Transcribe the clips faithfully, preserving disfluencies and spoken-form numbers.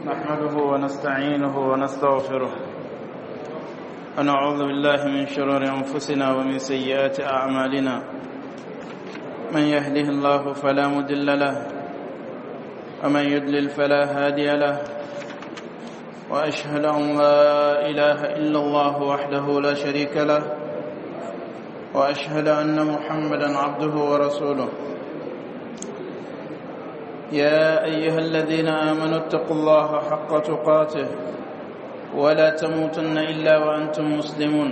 نحمده ونستعينه ونستغفره ونعوذ بالله من شرور أنفسنا ومن سيئات أعمالنا. من يهده الله فلا مضل له ومن يضلل فلا هادي له، وأشهد أن لا إله إلا الله وحده لا شريك له، وأشهد أن محمدا عبده ورسوله. يا أيها الذين آمنوا اتقوا الله حق تقاته ولا تموتن إلا وأنتم مسلمون.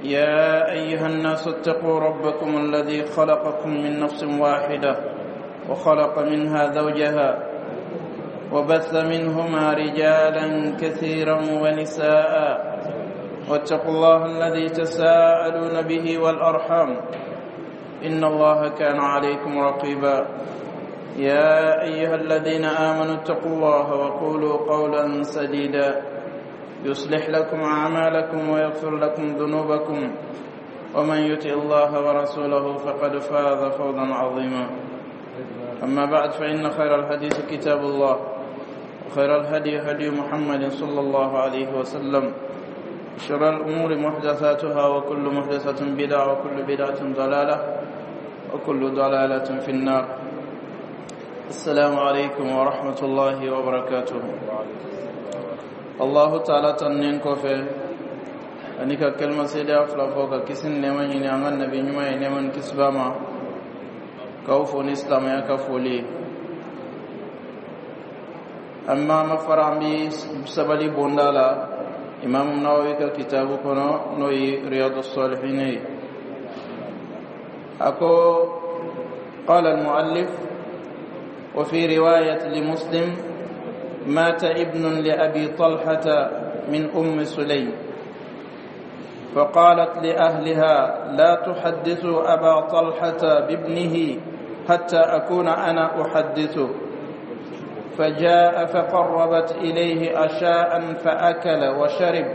يا أيها الناس اتقوا ربكم الذي خلقكم من نفس واحدة وخلق منها زوجها وبث منهما رجالا كثيرا ونساء، واتقوا الله الذي تساءلون به والأرحام إن الله كان عليكم رقيبا. يا أيها الذين آمنوا اتقوا الله وقولوا قولا سديدا يصلح لكم أعمالكم ويغفر لكم ذنوبكم، ومن يطع الله ورسوله فقد فاز فوزا عظيما. أما بعد، فإن خير الحديث كتاب الله، وخير الهدي هدي محمد صلى الله عليه وسلم، شر الأمور محدثاتها، وكل محدثة بدعة، وكل بدعة ضلالة، وكل ضلالة في النار. السلام عليكم ورحمة الله وبركاته. الله تعالى tanunen kɔfɛ ani ka kalima seedeya fila fɔ ka kisi ni nɛɛma ɲini an ka nabi ɲuman ye, nɛɛma ni kisi b'a ma, k'aw fo ni silamɛya ka foli ye. An ma ma fara an bi sabali bonda la Imam Nawawi ka kitabu kɔnɔ, n'o ye Riyadu Salihin ye. A ko: قال المؤلف: وفي رواية لمسلم: مات ابن لأبي طلحة من أم سليم، فقالت لأهلها: لا تحدثوا أبا طلحة بابنه حتى أكون أنا أحدثه. فجاء فقربت إليه عشاء فأكل وشرب،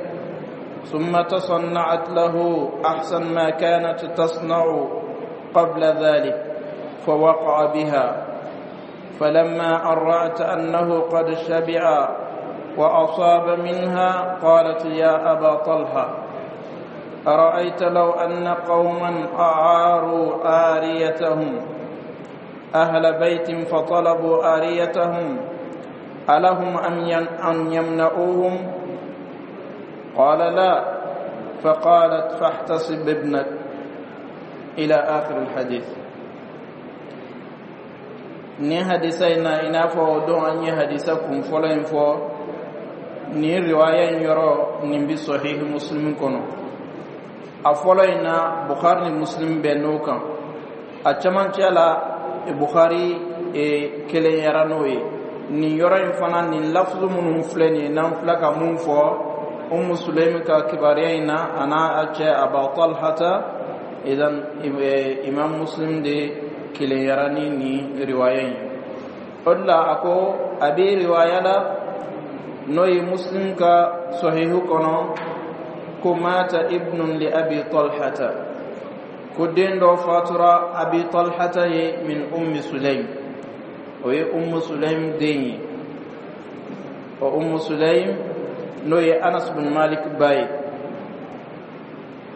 ثم تصنعت له أحسن ما كانت تصنع قبل ذلك، فوقع بها. فلما أن رأت أنه قد شبع وأصاب منها قالت: يا أبا طلحة، أرأيت لو أن قوما أعاروا عاريتهم أهل بيت فطلبوا عاريتهم، ألهم أن يمنعوهم؟ قال: لا. فقالت: فاحتسب ابنك. إلى آخر الحديث. Ni hadisa in na, i n'a fɔ o don an ye hadisa kun fɔlɔ in fɔ, nin riwaya in yɔrɔ nin bi Sahihi Muslim kɔnɔ. A fɔlɔ in na, Bukhari ni Muslim bɛn n'o kan. A camancɛ la, Bukhari e, kelenyara n'o ye. Nin yɔrɔ in fana, nin lafuzu minnu filɛ nin ye, n'an filɛ ka mun fɔ, Umu Sulemi ka kibaruya in na, a n'a a cɛ Aba Talhata, idan Imam Muslim de kelenyara ni nin riwaya in. O de la a ko a bɛ riwaya la, n'o ye Muslim ka Sahihu kɔnɔ, ko mata ibnun li Abi Talhata, ko den dɔ fatura Abi Talhata ye, min Ummi Sulaim, o ye Ummu Sulaim den ye. O Ummu Sulaim, n'o ye Anas bin Malik ba ye.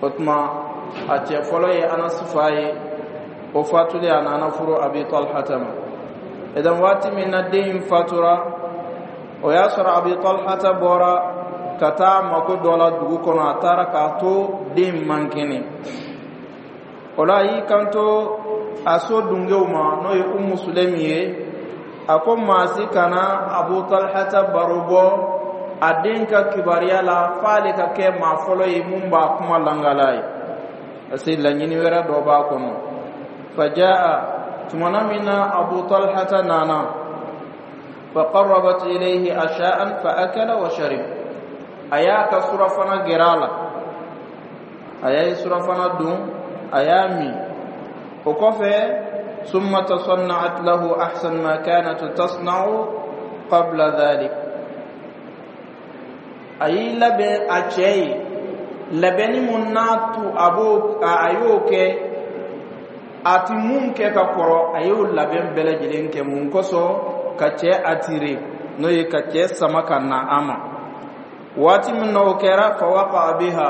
O tuma a cɛ fɔlɔ ye Anas fa ye. O fatulen, a nana furu Abi Talhata ma. Idan waati min na den in fatura, o y'a sɔrɔ Abi Talhata bɔra ka taa mako dɔ la dugu kɔnɔ. A taara k'a to den man kɛnɛ. O la a y'i kanto a so dungew ma, n'o ye Umu Sulemi ye, a ko maa si kana Abu Talhata baro bɔ a den ka kibaruya la f'ale ka kɛ maa fɔlɔ ye mun b'a kuma langala ye, parce que laɲini wɛrɛ dɔ b'a kɔnɔ. Fajaa, tumana min na Abu Talhata nana, فقربت إليه عشاء فأكل وشرب، a y'a ka surafana gɛrɛ a la, a y'a ye surafana dun, a y'a min. O kɔfɛ, ثم تصنعت له أحسن ما كانت تصنع قبل ذلك، a y'i labɛn a cɛ ye labɛnni mun n'a tu a b'o a y'o kɛ, a ti mun kɛ ka kɔrɔ, a y'o labɛn bɛɛ lajɛlen kɛ. Mun kosɔn? Ka cɛ attirer. N'o ye ka cɛ sama ka na a ma. Waati min na o kɛra, fa waqa'a biha,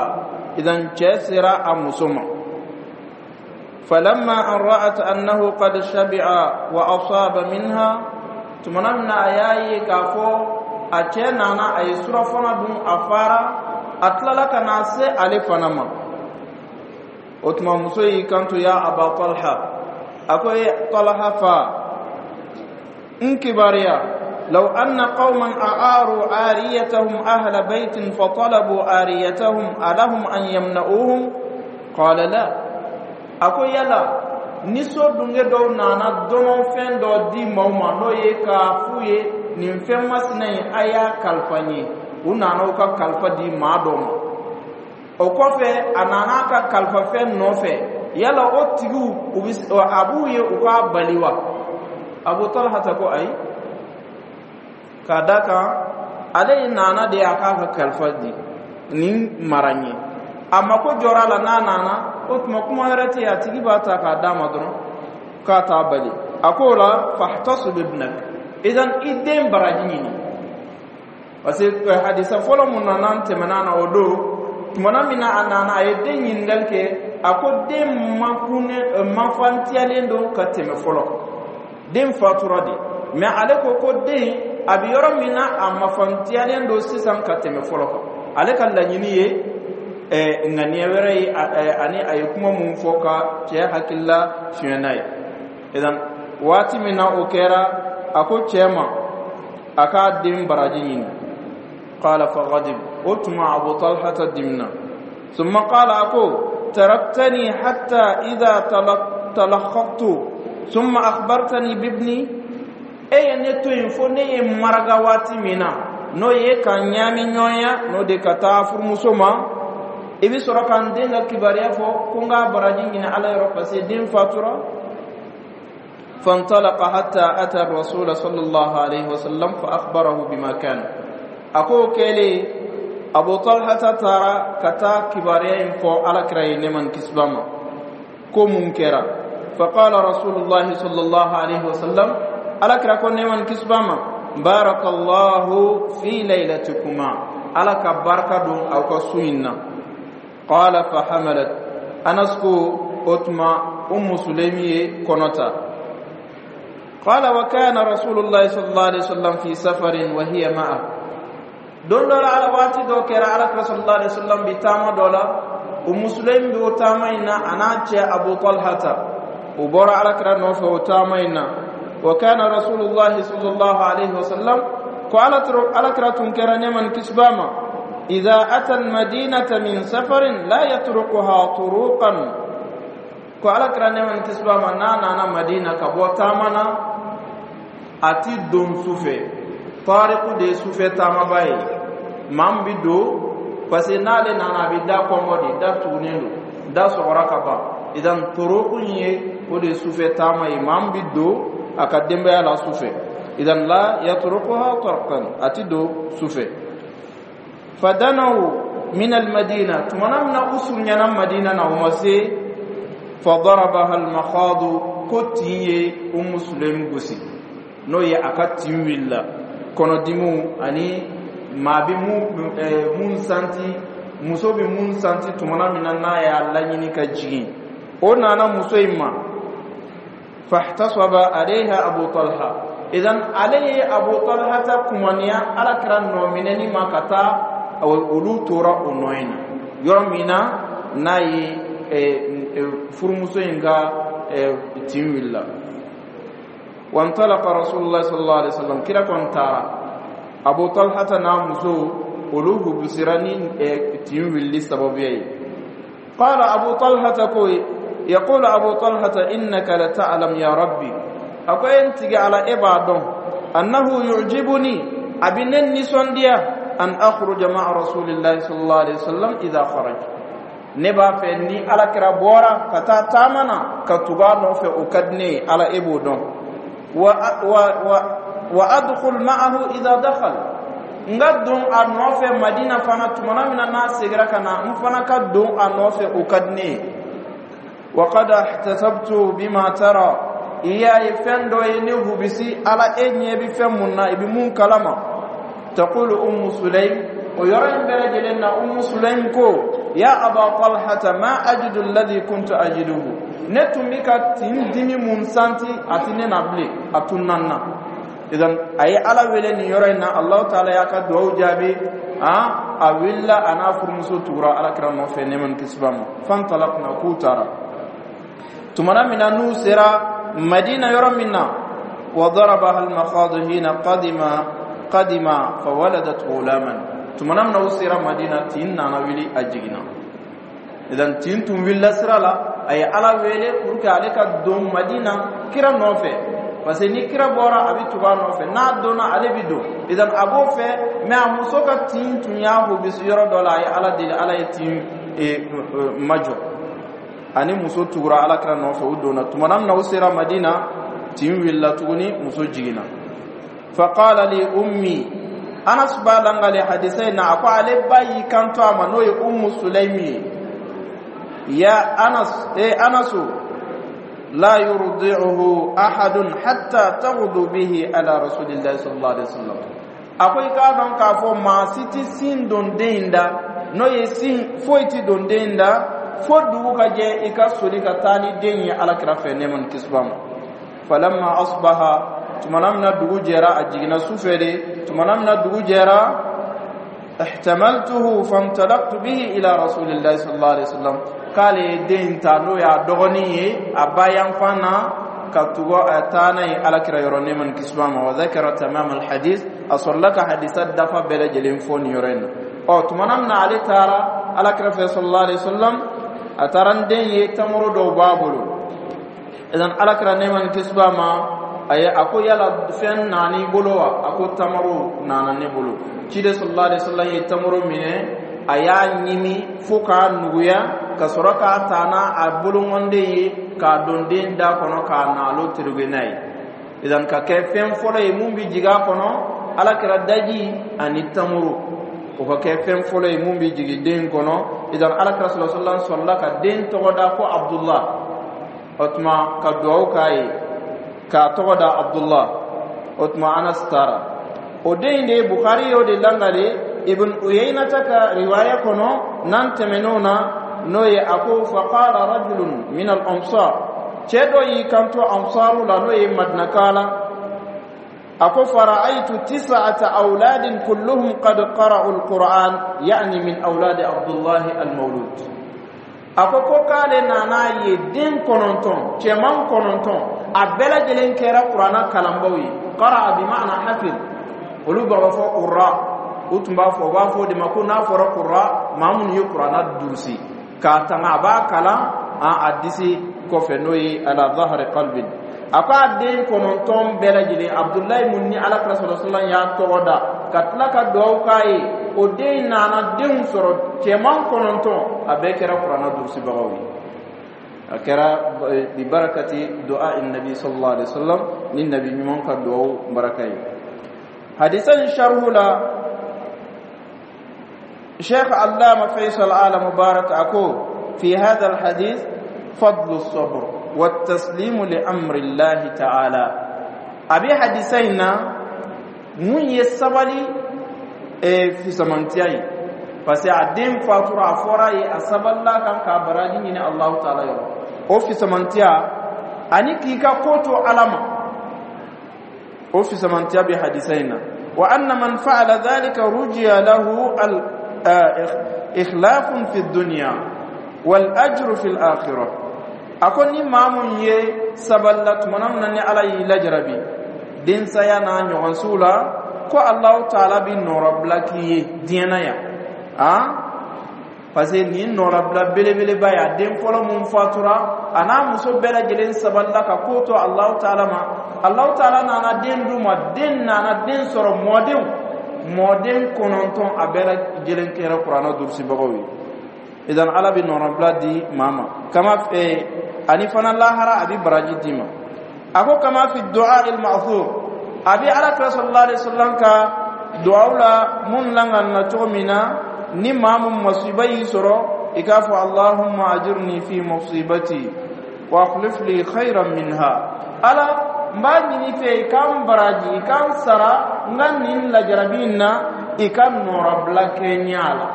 idan cɛ sera a muso ma. Falamma an ra'at annahu qad shabi'a wa asaba minha, tumana min na a y'a ye k'a fɔ a cɛ nana, a ye surafana dun, a fara, a tilala ka na se ale fana ma, o tuma muso y'i kanto: "Ya Aba Talha," a ko: "E Talha fa, n kibaruya, لو أن قوما أعاروا عاريتهم أهل بيت فطلبوا عاريتهم ألهم أن يمنعوهم؟ قال لا." A ko yala ni so dunge dɔw nana dɔnɔfɛn dɔ di maaw ma, n'o ye k'a f'u ye nin fɛn masina in, a y'a kalifa n ye, u nana u ka kalifa di maa dɔ ma, o kɔfɛ a nana a ka kalifafɛn nɔfɛ, yala o tigiw u bɛ a b'u ye u k'a bali wa? Abu Talhata ko ayi, k'a da kan ale nana de a k'a ka kalifa di nin mara n ye, a mako jɔra a la, n'a nana o tuma kuma wɛrɛ tɛ yen, a tigi b'a ta k'a d'a ma dɔrɔn k'a t'a bali. A k'o la: "Fahtasib ibnak," idan i den baraji ɲini, parce que hadisa fɔlɔ mun na n'an tɛmɛna na o don, tumana min na a nana, a ye den ɲininkali kɛ, a ko den makunne mafantiyalen don ka tɛmɛ fɔlɔ kan, den fatura de, mais ale ko ko den a bɛ yɔrɔ min na, a mafantiyalen don sisan ka tɛmɛ fɔlɔ kan. Ale ka laɲini ye ɛɛ ŋaniya wɛrɛ ye, ani a ye kuma mun fɔ ka cɛ hakilila fiɲɛ n'a ye. Idan waati min na o kɛra, a ko cɛ ma a k'a den baraji ɲini. Qala faghadib, o tuma Abu Talhata dimina. Summa qala, a ko: "Taraktani hatta idha talakhaqtu summa akhbartani bibni." E ye ne to yen fo ne ye maraga waati min na, n'o ye ka ɲaami ɲɔgɔnya, n'o de ka taa furumuso ma, i bɛ sɔrɔ ka n den ka kibaruya fɔ ko n k'a baraji ɲini Ala yɔrɔ, parce que den fatura. فانطلق حتى أتى الرسول صلى الله عليه وسلم فأخبره بما كان. أكو كيلي أبو طلحة تارا كتا كباريا فو على كراي نمن كسباما كو منكرا. فقال رسول الله صلى الله عليه وسلم، على كرا كو نمن كسباما: "بارك الله في ليلتكما، على كبركة دون أو كسوينا." قال فحملت. أنس ko o tuma Ummu Sulemi ye kɔnɔta. قال وكان رسول الله صلى الله عليه وسلم في سفر وهي معه. Don dɔ la, ala waati dɔ kɛra, Ala kira sallallahu alaihi wasallam bi taama dɔ la, Ummu Sulaim bi o taama in na, a n'a cɛ Abu Talhata, u bɔra Ala kira nɔfɛ o taama in na. وكان رسول الله صلى الله عليه وسلم, ko Ala kira tun kɛra nɛɛma ni kisi b'a ma, إذا أتى المدينة من سفر لا يطرقها طروقا. Ko Ala kira nɛɛma ni kisi b'a ma, n'a nana Madina ka bɔ taama na, a ti don sufɛ. Tariku de ye sufɛ taamaba ye, maa min bi don, parce que n'ale nana, a bɛ da kɔngɔ de, da tugunnen don, da sɔgɔra ka ban. Idan turuku ye, o de ye sufɛ taama ye, maa min bi don a ka denbaya la sufɛ. Idan لا يطرقها طرقا, a ti don sufɛ. فدنوا من المدينة, tumana min na u surunyana Madina na, u ma se, فضربها المخاض, ko tin ye Umu Sulaim gosi, n'o ye a ka tin wulila, kɔnɔdimiw ani maa bɛ mun mun santi, muso bɛ mun santi tumana min na n'a y'a laɲini ka jigin, o nana muso in ma. فاحتصب عليها أبو طلحة. Idan ale ye Abu Talha ta kumaniya Ala kira nɔ minɛni ma ka taa, olu tora o nɔ in na yɔrɔ min na n'a ye furumuso in ka tin wulila. وانطلق رسول الله صلى الله عليه وسلم, kira kɔni taara, Abu Talhata n'a muso olu hubusira ni tin wulili sababuya ye. قال أبو طلحة, ko يقول أبو طلحة: "إنك لتعلم يا ربي," a ko n tigi Ala, e b'a dɔn, أنه يعجبني, a bɛ ne nisɔndiya, أن أخرج مع رسول الله صلى الله عليه وسلم إذا خرج, ne b'a fɛ ni Ala kira bɔra ka taa taama na, ka tugu a nɔfɛ, o ka di ne ye, Ala e b'o dɔn, و و و وأدخل معه إذا دخل, n ka don a nɔfɛ Madina fana tumana min na n'a seginna ka na, n fana ka don a nɔfɛ, o ka di ne ye. وقد احتسبت بما ترى. I y'a ye fɛn dɔ ye ne hubisi. Ala, e ɲɛ bɛ fɛn mun na, i bɛ mun kalama. Taqulu Ummu Sulaim, o yɔrɔ in bɛɛ lajɛlen na, Ummu Sulaim ko: ya Aba Talhata, ma ajidu alladhi kuntu ajiduhu. Ne tun bɛ ka tin dimi mun santi, a ti ne na bilen, a tunna n na. Idan a ye Ala wele nin yɔrɔ in na, Alahu Taala y'a ka duwawu jaabi. A a wulila, a n'a furumuso tugura Alakira nɔfɛ, nɛɛma ni kisi b'a ma. Fantalakna, k'u taara. Tumana min na n'u sera Madina yɔrɔ min na, wa darabaha almakhadu hina qadima qadima fawaladat ghulaman. Tumana min na u sera Madina, tin nana wuli, a jiginna. Idan tin tun wulila sira la, a ye Ala wele pour que ale ka don Madina kira nɔfɛ, parce que ni kira bɔra, a bɛ tugu a nɔfɛ, n'a donna, ale bɛ don. Idan a b'o fɛ, mais a muso ka tin tun y'a hobisi yɔrɔ dɔ la. A ye Ala deli, Ala ye tin majɔ, ani muso tugura Ala kira nɔfɛ, u donna. Tumana min na u sera Madina, tin wulila tuguni, muso jiginna. Faqala li ummi, Anas b'a langale hadisa in na, a ko ale ba y'i kanto a ma, n'o ye Ummu Sulaimi ye: ya Anas, e Anasu, la yurdi'uhu ahadun hatta taghdu bihi ala Rasulillahi sallallahu alaihi wasallam. A ko i k'a dɔn k'a fɔ maa si tɛ sin don den in da, n'o ye sin foyi tɛ don den in da, fo dugu ka jɛ, i ka soli ka taa ni den ye Ala kira fɛ, nɛɛma ni kisi b'a ma. Falamma asbaha, tumana min na dugu jɛra, a jiginna sufɛ de, tumana min na dugu jɛra, ihtamaltuhu fantalaqtu bihi ila Rasulillahi sallallahu alaihi wasallam. K'ale ye den ta, n'o y'a dɔgɔnin ye, a ba yanfan na, ka tugu a taa n'a ye Ala kira yɔrɔ, nɛɛma ni kisi b'a ma. Wa dhakara tamam alhadith, a sɔrɔla ka hadisa dafa bɛɛ lajɛlen fɔ nin yɔrɔ in na. Ɔ tumana min na ale taara Ala kira fɛ sallallahu alaihi wasallam, a taara ni den ye, tamaro dɔw b'a bolo. Idan Ala kira, nɛɛma ni kisi b'a ma, a ye a ko: yala fɛn nana i bolo wa? A ko: tamaro nana ne bolo. Ciden sallallahu alaihi wasallam ye tamaro minɛ, a y'a ɲimi fo k'a nuguya, ka sɔrɔ k'a ta n'a a boloŋɔnden ye k'a don den da kɔnɔ, k'a naalo terege n'a ye. Idan ka kɛ fɛn fɔlɔ ye mun bɛ jigin a kɔnɔ, Ala kɛra daji ani tamaro, o ka kɛ fɛn fɔlɔ ye mun bɛ jigin den kɔnɔ. Idan Ala kɛra sallallahu alaihi wasallam sɔrɔla ka den tɔgɔ da ko Abdullah. O tuma ka duwawu k'a ye k'a tɔgɔ da Abdullah. O tuma Anas taara, o den in de ye Bukhari y'o de langale Ibn Uyaynata ka riwaya kɔnɔ n'an tɛmɛn'o na, n'o ye a ko: faqala rajulun min al ansar, cɛ dɔ y'i kanto ansaru la, n'o ye Madinaka la, a ko: fara'aytu tis'ata awladin kulluhum qad qara'u al-Qur'an, ya'ni min awladi Abdullah al-mawlud. A ko ko k'ale nana ye den kɔnɔntɔn, cɛman kɔnɔntɔn, a bɛɛ lajɛlen kɛra kuranna kalanbaw ye. Qara'a bi ma'na hafiz, olu b'a fɔ qurra, u tun b'a fɔ, u b'a fɔ o de ma ko n'a fɔra qurra, maa minnu ye kuranna durusi k'a tanga, a b'a kalan a disi kɔfɛ, n'o ye ala zahari qalbin. A ko a den kɔnɔntɔn bɛɛ lajɛlen, Abudulayi mun ni Ala kira sallallahu alaihi wasallam y'a tɔgɔ da ka tila ka duwawu k'a ye, o den nana denw sɔrɔ, cɛman kɔnɔntɔn, a bɛɛ kɛra kuranna durusibagaw ye. A kɛra bi barakati du'a nabi sallallahu alaihi wasallam, ni nabi ɲuman ka duwawu baraka ye. Hadisa in sharhu la, Sheikh Allama Faisal Ala Mubarak ako: fi hadha alhadith fadlu as-sabr والتسليم لأمر الله تعالى. Abi hadisa in na, mun ye sabali e fisamantiya ye, parce que a den fatura, a fɔra ye, a sabalila kan k'a baraji ɲini Allahu Taala yɔrɔ, o fisamantiya ani k'i ka ko to Ala ma, o fisamantiya bɛ hadisa in na. Wa anna man fa'ala dhalika rujiya lahu al ikhlafun fi dunya wal ajru fi al akhirah. A ko ni maa mun ye sabalila tumana min na ni Ala y'i lajarabi densaya n'a ɲɔgɔnsiw la, ko Alahu Taala bi nɔrɔbila k'i ye diɲɛ na yan, han, parce que nin nɔrɔbila belebeleba ye, a den fɔlɔ mun fatura, a n'a muso bɛɛ lajɛlen sabalila ka ko to Alahu Taala ma, Alahu Taala nana den d'u ma, den nana den sɔrɔ, mɔdenw mɔden kɔnɔntɔn, a bɛɛ lajɛlen kɛra kuranɛ durusibagaw ye. Idan Ala bɛ nɔrɔbila di maa ma kama eh, ani fana lahara a bɛ baraji d'i ma. A ko kama fi du'a il ma'thur, a bɛ Ala kira sallallahu alaihi wasallam ka du'aw la mun langalina cogo min na, ni maa mun masiba y'i sɔrɔ, i k'a fɔ: allahumma ajirni fi musibati. Wa akhlif li khayran minha. Ala, n b'a ɲini fɛ i ka n baraji, i ka n sara n ka nin lajarabi in na, i ka nɔrɔbila kɛ n ɲɛ a la.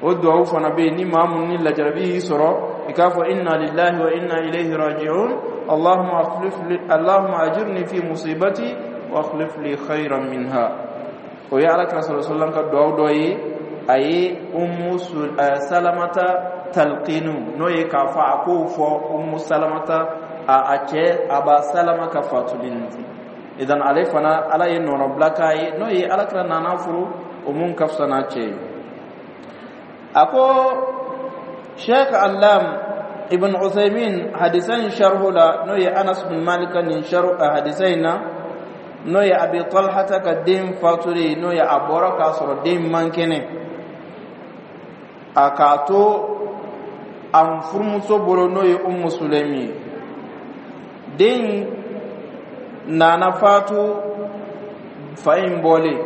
O duwawu fana bɛ yen. Ni maa mun ni lajarabi y'i sɔrɔ, i k'a fɔ: inna lillahi wa inna ilayhi raji'un, allahumma akhlif li, allahumma ajirni fi musibati wa akhlif li khayran minha. O ye Ala kira sallallahu alaihi wasallam ka duwawu dɔ ye. A ye Ummu Salamata talqinu, n'o ye k'a fɔ a k'o fɔ Ummu Salamata a a cɛ Aba Salama ka fatuli nin. Idan ale fana, Ala ye nɔnɔbila k'a ye, n'o ye Ala kira nana furu o mun ka fisa n'a cɛ ye. A ko Sheikh Allam Ibn Uthaymin, hadisa in sharhu la, n'o ye Anas bin Malik nin sharhu hadisa in na, n'o ye Abi Talhata ka den fatuli, n'o ye a bɔra k'a sɔrɔ den man kɛnɛ, a k'a to a furumuso bolo, n'o ye Ummu Sulemi ye, den nana fatu fa in bɔlen.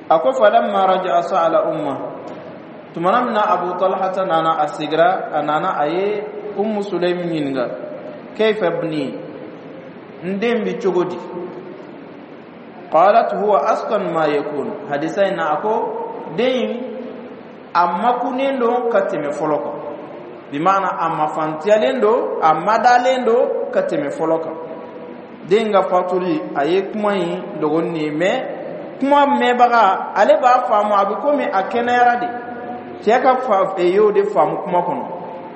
A ko: falamma raja'a sa'ala umma. Tumana min na Abu Talhata nana, a sigira, a nana, a ye Ummu Sulemi ɲininka: kayfa ibni? N den bi cogo di? Qalat: huwa askan ma yakun. Hadisa in na, a ko den a makunnen don ka tɛmɛ fɔlɔ kan, bimaana a mafantiyalen don, a madalen don ka tɛmɛ fɔlɔ kan. Den ka fatuli, a ye kuma in dogo nin ye, mɛ kuma mɛnbaga, ale b'a faamu a bɛ komi a kɛnɛyara de. Cɛ ka fa y'o de faamu kuma kɔnɔ,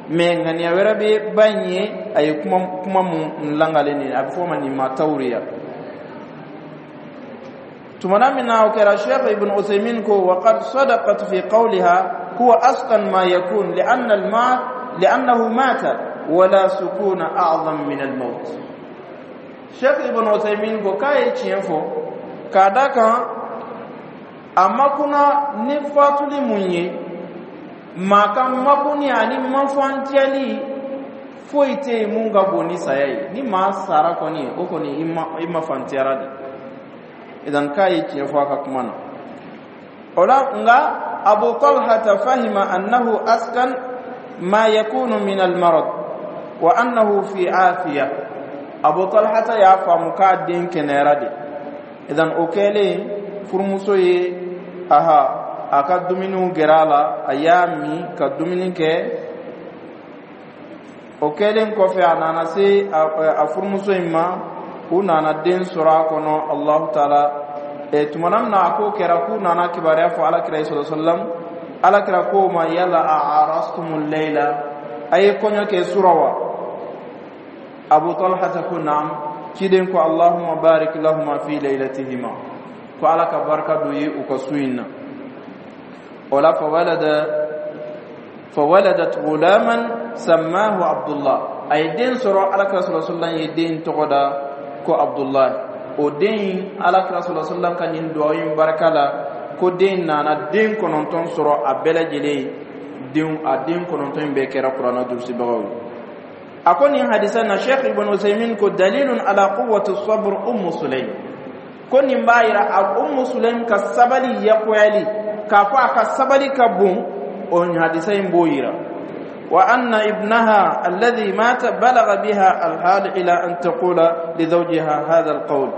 mɛ ŋaniya wɛrɛ bɛ ba in ye. A ye kuma kuma mun langalen nin, a bɛ fɔ o ma nin ma tawuriya. Tumana min na o kɛra, Sheikh Ibn Uthaymin ko: wa qad sadaqat fi qawliha huwa askan ma yakun li'anna al-ma li'annahu mata wala sukuna a'zam min al-maut. Sheikh Ibn Uthaymin ko k'a ye tiɲɛ fɔ, k'a da kan a makuna ni fatuli mun ye, maa ka makuni ani mafantiyali foyi tɛ yen mun ka bon ni saya ye. Ni maa sara kɔni, o kɔni i ma fantiyara de. Idan k'a ye tiɲɛ fɔ a ka kuma na o la. Nka Abu Talhata fahima annahu askan ma yakunu min almarad wa annahu fi afiya. Abu Talhata y'a faamu k'a den kɛnɛyara de. Idan o kɛlen, furumuso ye aha a ka dumuniw gɛrɛ a la, a y'a min ka dumuni kɛ. O kɛlen kɔfɛ, a nana se a furumuso in ma, u nana den sɔrɔ a kɔnɔ. Allahu taala e tumana min na a ko kɛra k'u nana kibaruya fɔ Alakira sallallahu alaihi wasallam, Alakira ko ma: yala a arastumul layla? A ye kɔɲɔ kɛ sura wa? Abu Talha ko: naam. Ciden ko: allahumma barik lahuma fi laylatihima. Ko Ala ka barika don ye u ka su in na. O la, fawalada fawaladat gulaman sammahu Abdullah. A ye den sɔrɔ, Alakira sallallahu alaihi wasallam ye den tɔgɔ da ko Abdullah. O den, Alakira sallallahu alaihi wasallam ka nin duwawu in barika la, ko den nana den kɔnɔntɔn sɔrɔ. A bɛɛ lajɛlen den, a den kɔnɔntɔn in bɛɛ kɛra Kuranɛ durusibagaw ye. A ko nin hadisa na, Sheikh Ibn Usaymin ko: dalilun ala quwwati sabr Ummu Sulaym. Ko nin b'a yira a Ummu Sulaym ka sabali yakuyali, k'a fɔ a ka sabali ka bon, o hadisa in b'o yira. Wa anna ibnaha alladhi mata balagha biha alhal ila an taqula li zawjiha hadha alqawl.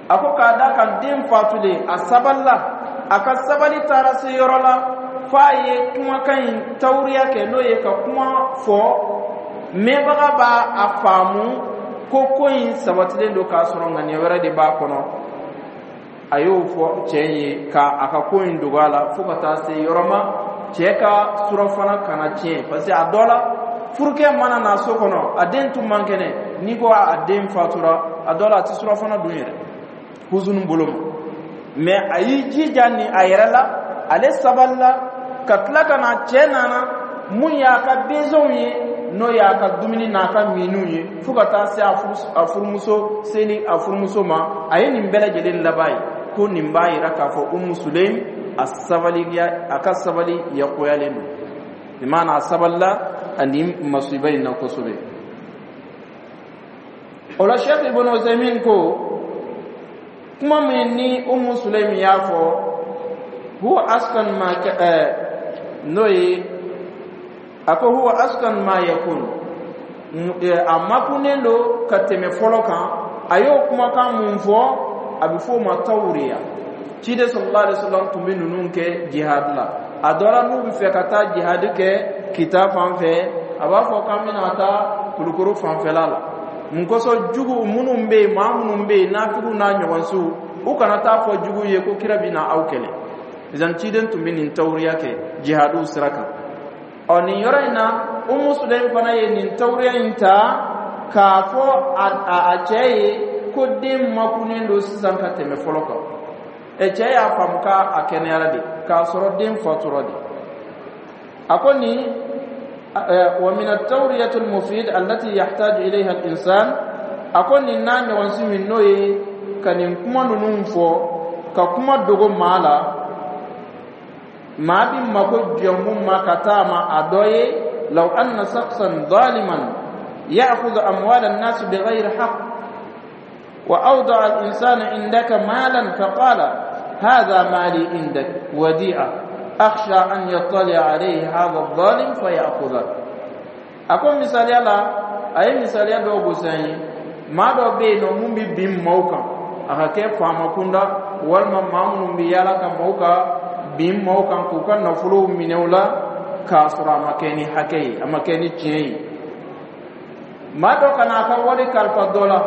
A ko k'a da kan den fatulen, a sabalila, a ka sabali taara se yɔrɔ la f'a ye kumakan in tawuriya kɛ, n'o ye ka kuma fɔ mɛnbaga b'a a faamu ko ko in sabatilen don, k'a sɔrɔ ŋaniya wɛrɛ de b'a kɔnɔ. A y'o fɔ cɛ ye ka a ka ko in dogo a la fo ka taa se yɔrɔ ma, cɛ ka surɔfana kana tiɲɛ, parce que a dɔ la, furukɛ mana na so kɔnɔ, a den tun man kɛnɛ, n'i ko a den fatura, a dɔ la a tɛ surɔfana dun yɛrɛ huzunu bolo ma. Mɛ a y'i jija ni a yɛrɛ la, ale sabalila ka tila ka na. Cɛ nana, mun y'a ka besoin ye, n'o y'a ka dumuni n'a ka minniw ye, fo ka taa se a furumuso seli a furumuso ma, a ye nin bɛɛ lajɛlen laban ye. Ko nin b'a yira k'a fɔ Umu Sulaim a sabali, a ka sabali yakuyalen don, bi maana a sabalila ani masiba in na kosɛbɛ. O la, Sheikh Ibn Usaymin ko kuma min ni Umu Sulaim y'a fɔ, huwa askan ma, n'o ye a ko huwa askan ma yakun. A makunnen don ka tɛmɛ fɔlɔ kan. A y'o kumakan mun fɔ, a bɛ f'o ma tawuriya. Ciden sallallahu alaihi wasallam tun bɛ ninnu kɛ jihad la. A dɔ la, n'u bɛ fɛ ka taa jihad kɛ Kita fan fɛ, a b'a fɔ k'an bɛna taa Kulukoro fanfɛla la. Mun kosɔn? Jugu minnu bɛ yen, maa minnu bɛ yen, nafigiw n'a ɲɔgɔnsiw, u kana taa fɔ jugu ye ko kira bɛna aw kɛlɛ. Izan ciden tun bɛ nin tawuriya kɛ jihadiw sira kan. Ɔ, nin yɔrɔ in na, Umu Sulaim fana ye nin tawuriya in ta k'a fɔ a a cɛ ye ko den makunnen don sisan ka tɛmɛ fɔlɔ kan. Ɛ, cɛ y'a faamu k'a kɛnɛyara de, k'a sɔrɔ den fatura de. A ko nin wa min at-tawriyat al-mufid allati yahtaju ilayha al-insan. A ko nin n'a ɲɔgɔn si min, n'o ye ka nin kuma ninnu fɔ ka kuma dogo maa la, maa bi mako jɔ mun ma ka taa ma, a dɔ ye: law anna shakhsan zaliman ya'khudhu amwal an-nas bighayri haqq wa awda'a al-insana indaka malan faqala hadha mali indak wadi'a akhsha an yattali alayhi hadha adh-dhalim faya'khudha. A ko misaliya la, a ye misaliya dɔw gosi an ye. Maa dɔ bɛ yen nɔ mun bɛ bin maaw kan, a ka kɛ faama kunda walima maa minnu bɛ yaala ka maaw ka bin maaw kan k'u ka nafolow minɛ u la k'a sɔrɔ a ma kɛ ni hakɛ ye, a ma kɛ ni tiɲɛ ye. Maa dɔ ka n'a ka wari kalifa dɔ la,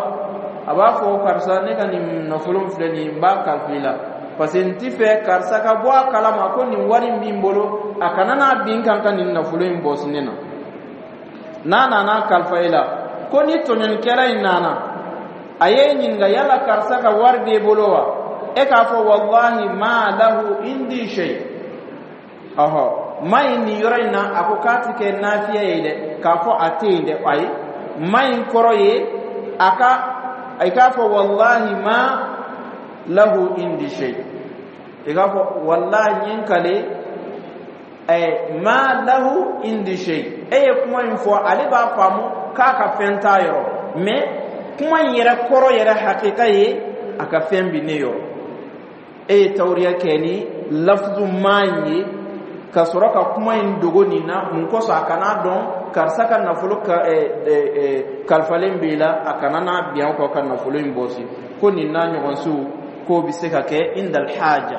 a b'a fɔ: "Karisa, ne ka nin nafolo filɛ nin ye, n b'a kalifa i la, parce que n ti fɛ karisa ka bɔ a kalama ko nin wari in b'i bolo, a kana n'a bin kan ka nin nafolo in bɔsi ne na." N'a nana kalifa i la, ko ni tɔɲɔnikɛla in nana, a ye ɲininka: "Yala karisa ka wari b'e bolo wa?" E k'a fɔ: "Wallahi ma lahu indi shay." Ɔhɔ, ma in nin yɔrɔ in na, a ko k'a ti kɛ nafiya ye dɛ, k'a fɔ a tɛ yen dɛ. Ayi, ma in kɔrɔ ye a ka i k'a fɔ: "Wallahi ma lahu indi shay." I k'a fɔ: "Wallahi, n ye n kale ɛ ma lahu indi shay." E ye kuma in fɔ, ale b'a faamu k'a ka fɛn t'a yɔrɔ, mais kuma in yɛrɛ kɔrɔ yɛrɛ hakika ye a ka fɛn bi ne yɔrɔ. E ye tawuriya kɛ ni lafuzu maa in ye ka sɔrɔ ka kuma in dogo nin na. Mun kosɔn? A kana dɔn karisa ka nafolo ka ɛ ɛ kalifalen b'i la, a kana n'a bin aw kan ka nafolo in bɔsi. Ko nin n'a ɲɔgɔnsiw, k'o bɛ se ka kɛ indal haja,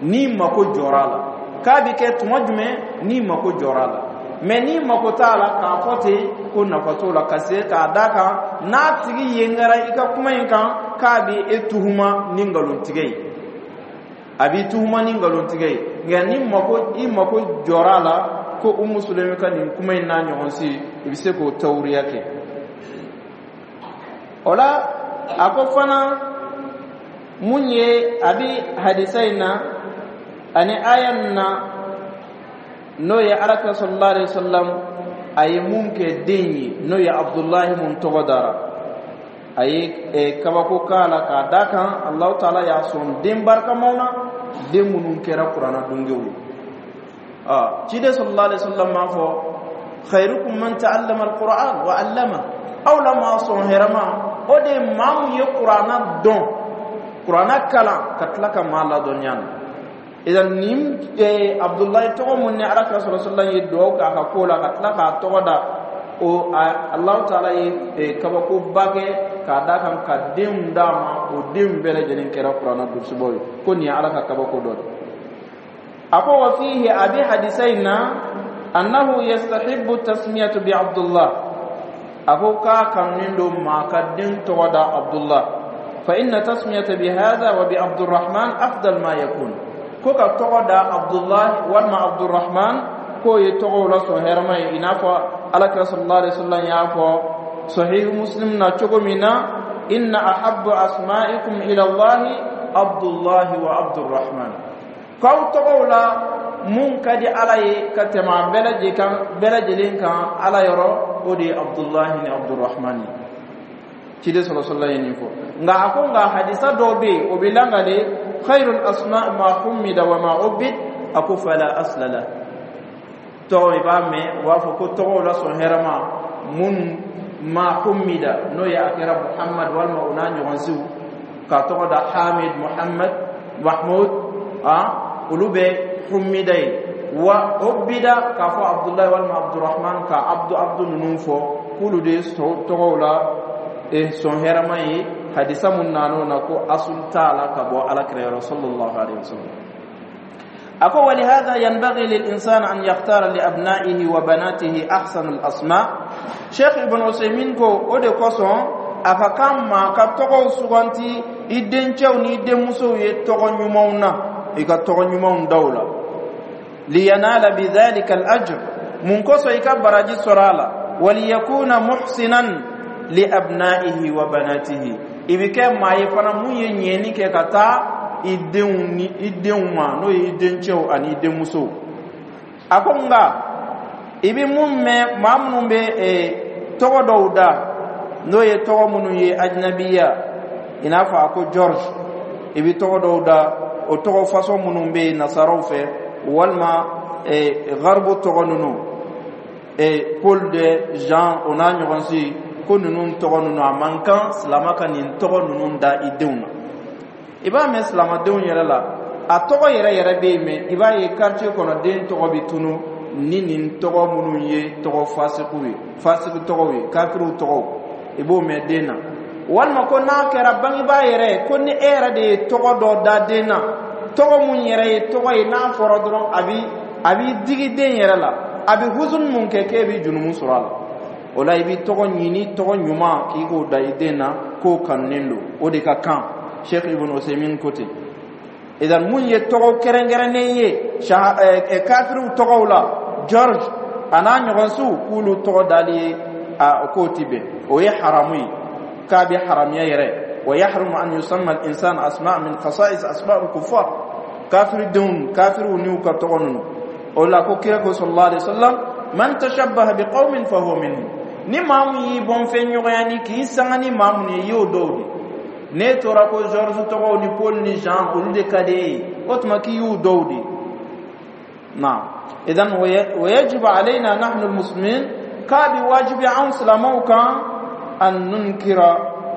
n'i mako jɔra a la. K'a bɛ kɛ tuma jumɛn? N'i mako jɔra a la. Mais n'i mako t'a la k'a fɔ ten, ko nafa t'o la, ka se k'a d'a kan n'a tigi yengara i ka kuma in kan, k'a bɛ e tuhuma ni nkalontigɛ ye, a b'i tuhuma ni nkalontigɛ ye. Nka ni mako i mako jɔra a la, ko Umu Sulemi ka nin kuma in n'a ɲɔgɔn si, i bɛ se k'o tawuriya kɛ o la. A ko fana mun ye a bi hadisa in na ani aya nin na, n'o ye Alakira sallallahu alaihi wasallam a ye mun kɛ den ye, n'o ye Abdullahi mun tɔgɔ dara, a ye kabako k'a la, k'a da kan Alahu taala y'a sɔn den barikamaw na, den minnu kɛra kuranna dungew ye. Ciden sallallahu alaihi wasallam m'a fɔ: "Khairukum man ta'allama alquran wa 'allama." Aw la maa sɔn hɛrɛma, o de ye maa mun ye kuranna dɔn, kuranna kalan, ka tila ka maa ladɔnniya na. Idan nin Abdullahi tɔgɔ mun ni Alakira sallallahu alaihi wasallam ye duwawu k'a ka ko la ka tila k'a tɔgɔ da o, Alahu taala ye kabakoba kɛ k'a d'a kan ka denw d'a ma, o denw bɛɛ lajɛlen kɛra kuranna durusibaw ye. Ko nin ye Ala ka kabako dɔ de. A ko wa fihi, a bi hadisa in na, annahu yastahibbu tasmiyatu bi Abdullah. A ko k'a kanunen don maa ka den tɔgɔ da Abdullah. Fa inna tasmiyata bi hadha wa bi Abdurrahman afdal ma yakun. Ko ka tɔgɔ da Abdullah walima Abdurrahman, k'o ye tɔgɔw la sɔn hɛrɛma ye, i n'a fɔ Alakira sallallahu alaihi wasallam y'a fɔ Sahih Muslim na cogo min na: "Inna ahabbu asma'ikum ila Allahi Abdullahi wa Abdurrahman." K'aw tɔgɔw la mun ka di Ala ye ka tɛmɛ a bɛɛ lajɛlen kan bɛɛ lajɛlen kan Ala yɔrɔ, o de ye Abdullahi ni Abdurrahman ye. Ciden sɔrɔ sɔrɔ ye nin fɔ. Nka a ko nka hadisa dɔw bɛ yen, o bɛ langale: "Khairul asma ma humida wa ma ubid." A ko fala asla la. Tɔgɔ i b'a mɛn, u b'a fɔ ko tɔgɔw la sɔn hɛrɛma mun ma humida, n'o ye a kɛra Muhammad walima o n'a ɲɔgɔnsiw, k'a tɔgɔ da Hamid, Muhammad, Mahmud, a olu bɛ humida ye, wa ubida, k'a fɔ Abdullahi walima Abdurrahman, ka Abdu Abdu ninnu fɔ. K'olu de ye tɔgɔw la sɔn hɛrɛma ye. Hadisa mun nan'o na, ko asul t'a la ka bɔ Ala kira yɔrɔ sallallahu alaihi wasallam. A ko ولهذا ينبغي للإنسان أن يختار لأبنائه وبناته أحسن الأسماء. Sheikh Ibn Usaymin ko o de kosɔn a ka kan maa ka tɔgɔw suganti i dencɛw ni i denmusow ye tɔgɔ ɲumanw na, i ka tɔgɔ ɲumanw da u la. لينال بذلك الأجر, mun kosɔn? I ka baraji sɔrɔ a la. وليكون محسنا لأبنائه وبناته, i bɛ kɛ maa ye fana mun ye ɲɛni kɛ ka taa i denw ni i denw ma, n'o ye i dencɛw ani i denmusow. A ko nka i bɛ mun mɛn, maa minnu bɛ tɔgɔ dɔw da, n'o ye tɔgɔ minnu ye ajinabiya, i n'a fɔ a ko George, i bɛ tɔgɔ dɔw da, o tɔgɔ fasɔn minnu bɛ yen nasaraw fɛ, walima garibu tɔgɔ ninnu, Paul de Jean, o n'a ɲɔgɔn si, ko ninnu tɔgɔ ninnu, a man kan silama ka nin tɔgɔ ninnu da i denw na. I b'a mɛn silamadenw yɛrɛ la, a tɔgɔ yɛrɛ yɛrɛ bɛ yen, mɛ i b'a ye quartier kɔnɔ, den tɔgɔ bɛ tunu ni nin tɔgɔ minnu ye tɔgɔ fasikiw ye, fasiki tɔgɔw ye, kafiriw tɔgɔw, i b'o mɛn den na. Walima ko n'a kɛra bangebaa yɛrɛ ko ni e yɛrɛ de ye tɔgɔ dɔ da den na, tɔgɔ mun yɛrɛ ye tɔgɔ ye, n'a fɔra dɔrɔn a bi a b'i digi den yɛrɛ la, a bɛ huzun mun kɛ, k'e bɛ junumu sɔrɔ a la. O la, i bɛ tɔgɔ ɲini, tɔgɔ ɲuman, k'i k'o da i den na, k'o kanunen don, o de ka kan. Sheikh Ibn Usaymin ko ten. Idan mun ye tɔgɔ kɛrɛnkɛrɛnnen ye kafiriw tɔgɔw la, George a n'a ɲɔgɔnsiw, k'olu tɔgɔ dali ye, a k'o ti bɛn, o ye haramu ye, k'a bɛ haramiya yɛrɛ. ويحرم أن يسمى الإنسان أسماء من خصائص أسماء الكفار, kafiri denw, kafiriw n'u ka tɔgɔ ninnu. O la ko kira ko sallallahu alaihi wasallam: من تشبه بقوم فهو منهم. Ni maa mun y'i bɔn fɛn ɲɔgɔnya ni k'i sanga ni maa mun ye, i y'o dɔw de. N'e tora ko George tɔgɔw ni Paul ni Jean, olu de ka di e ye, o tuma k'i y'u dɔw de. نعم, إذن ويجب علينا نحن المسلمين, k'a bi wajibi anw silamɛw kan, أن ننكر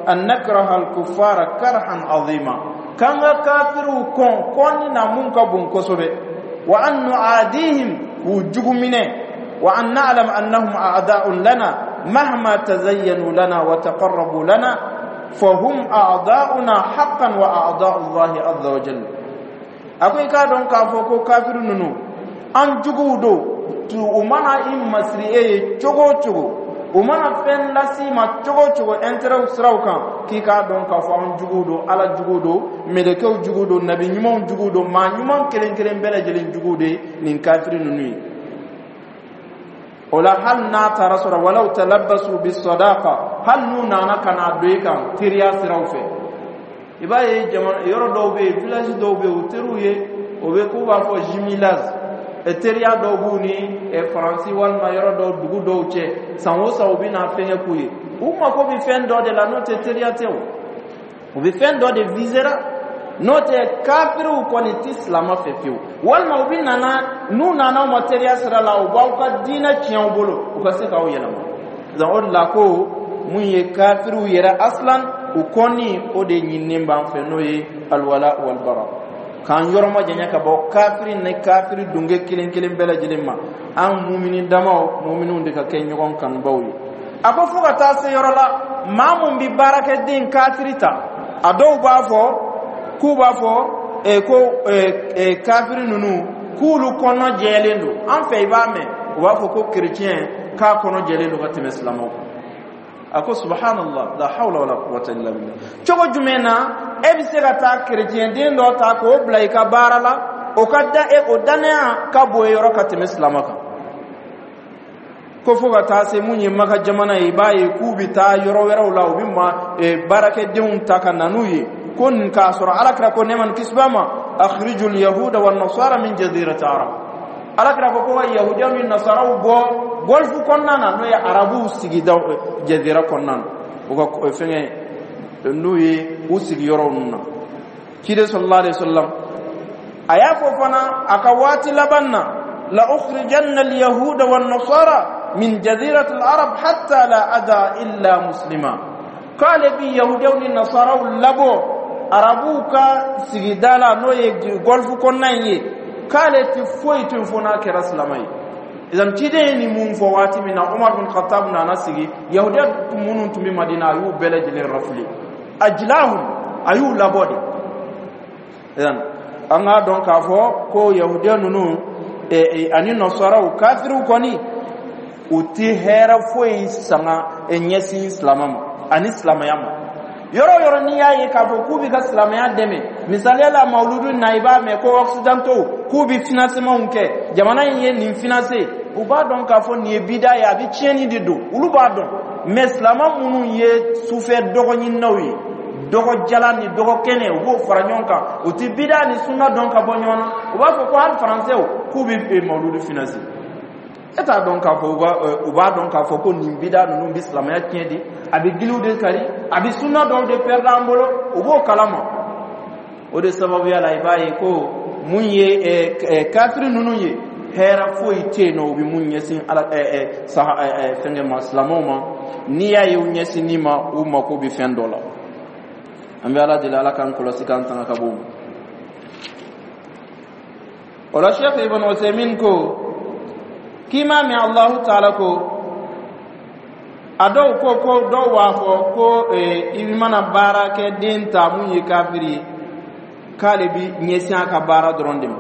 أن نكره الكفار كرها عظيما, k'an ka kafiriw kɔn kɔnni na mun ka bon kosɛbɛ, وأن نعاديهم, k'u jugu minɛ, وأن نعلم أنهم أعداء لنا مهما تزينوا لنا وتقربوا لنا فهم أعداؤنا حقا وأعداء الله عز وجل. A ko i k'a dɔn k'a fɔ ko kafiri ninnu an juguw don. U mana i masiri e ye cogo o cogo, u mana fɛn las'i ma cogo o cogo intérêt siraw kan, k'i k'a dɔn k'a fɔ an juguw don, Ala juguw don, mɛlɛkɛw juguw don, nabi ɲumanw juguw don, maa ɲuman kelen kelen bɛɛ lajɛlen juguw de nin kafiri ninnu ye. O la, hali n'a taara sɔrɔ ولو تلبسوا بالصداقة, hali n'u nana ka n'a don i kan teriya siraw fɛ, i b'a ye jamana yɔrɔ dɔw bɛ yen, village dɔw bɛ yen, o teriw ye, o bɛ k'u b'a fɔ jumelage, teriya dɔw b'u ni Faransi walima yɔrɔ dɔw, dugu dɔw cɛ. San o san, u bɛ na fɛnkɛ k'u ye. U mako bɛ fɛn dɔ de la, n'o tɛ teriya tɛ o. U bɛ fɛn dɔ de visera, n'o tɛ kafiriw kɔni ti silama fɛ fiyewu. Walima u bɛ nana, n'u nana aw ma teriya sira la, u b'aw ka diinɛ tiɲɛ aw bolo, u ka se k'aw yɛlɛma. Donc o de la ko mun ye kafiriw yɛrɛ aslan, u kɔni, o de ɲininen b'an fɛ, n'o ye الولاء والبراء, k'an yɔrɔ ma janya ka bɔ kafiri ni kafiri dunge kelen kelen bɛɛ lajɛlen ma. An mumini damaw, muminiw de ka kɛ ɲɔgɔn kanubaw ye. A ko fo ka taa se yɔrɔ la, maa mun bi baarakɛden kafiri ta, a dɔw b'a fɔ k'u b'a fɔ e, ko e, e, kafiri ninnu k'olu kɔnɔ jɛlen don. An fɛ, i b'a mɛn u b'a fɔ ko kerecɛn k'a kɔnɔ jɛlen don ka tɛmɛ silamɛw kan. A ko سبحان الله, لا حول ولا قوة إلا بالله. Cogo jumɛn na e bɛ se ka taa kerecɛn den dɔ ta k'o bila i ka baara la, o ka da e o danaya ka bon yɔrɔ ka tɛmɛ silamɛ kan? Ko fo ka taa se mun ye Maka jamana ye, i b'a ye k'u bɛ taa yɔrɔ wɛrɛw la, u bɛ ma baarakɛdenw ta ka na n'u ye, ko nin k'a sɔrɔ Ala kira ko, nɛɛma ni kisi b'a ma: أخرجوا اليهود والنصارى من جزيرة العرب. Ala kira ko ko ka yahudiyaw ni nasaraw bɔ Golfe kɔnɔna na, n'o ye arabuw sigida jazira kɔnɔna na, u ka fɛngɛ n'u ye u sigiyɔrɔw ninnu na. Ciden sallallahu alaihi wasallam a y'a fɔ fana a ka waati laban na: لأخرجن اليهود والنصارى من جزيرة العرب حتى لا أدع إلا مسلما. K'ale bi yahudiyaw ni nasaraw labɔ arabuw ka sigida la, n'o ye Golfe kɔnɔna in ye, k'ale ti foyi to fo n'a kɛra silama ye. Idan ciden ye nin mun fɔ waati min na, Umar bin Khattab nana sigi, yahudiya minnu tun bɛ Madina, a y'u bɛɛ lajɛlen rafuli, ajlahum, a y'u labɔ de. Idan an k'a dɔn k'a fɔ ko yahudiya ninnu ani nasaraw, kafiriw kɔni, u ti hɛrɛ foyi sanga ɲɛsin silamɛ ma ani silamɛya ma. Yɔrɔ o yɔrɔ n'i y'a ye k'a fɔ k'u bɛ ka silamɛya dɛmɛ, misaliya la, mawuludu na, i b'a mɛn ko occidentaux k'u bɛ financement kɛ, jamana in ye nin financer, u b'a dɔn k'a fɔ nin ye bida ye, a bɛ tiɲɛni de don, olu b'a dɔn. Mais silamɛ minnu ye sufɛ dɔgɔɲininaw ye, dɔgɔjala ni dɔgɔkɛnɛ, u b'o fara ɲɔgɔn kan, u ti bida ni sunna dɔn ka bɔ ɲɔgɔn na. U b'a fɔ ko hali faransɛw k'u bɛ mawuludu financer. E t'a dɔn k'a fɔ u b'a dɔn k'a fɔ ko nin bida ninnu bɛ silamɛya tiɲɛ de, a bɛ giliw de kari, a bɛ sunna dɔw de pɛrɛn an bolo, u b'o kalama. O de sababuya la, i b'a ye ko mun ye kafiri ninnu ye, hɛrɛ foyi tɛ yen nɔ u bɛ mun ɲɛsin ala saha fɛnkɛ ma, silamɛw ma. N'i y'a ye u ɲɛsinni ma, u mako bɛ fɛn dɔ la. An bɛ Ala deli, Ala k'an kɔlɔsi k'an tanga ka bɔ o ma. O la, Sheikh Ibn Usaymin ko k'i m'a mɛn Allahu taala ko a dɔw ko ko dɔw b'a fɔ ko i mana baara kɛ den ta mun ye kafiri ye, k'ale bi ɲɛsin a ka baara dɔrɔn de ma,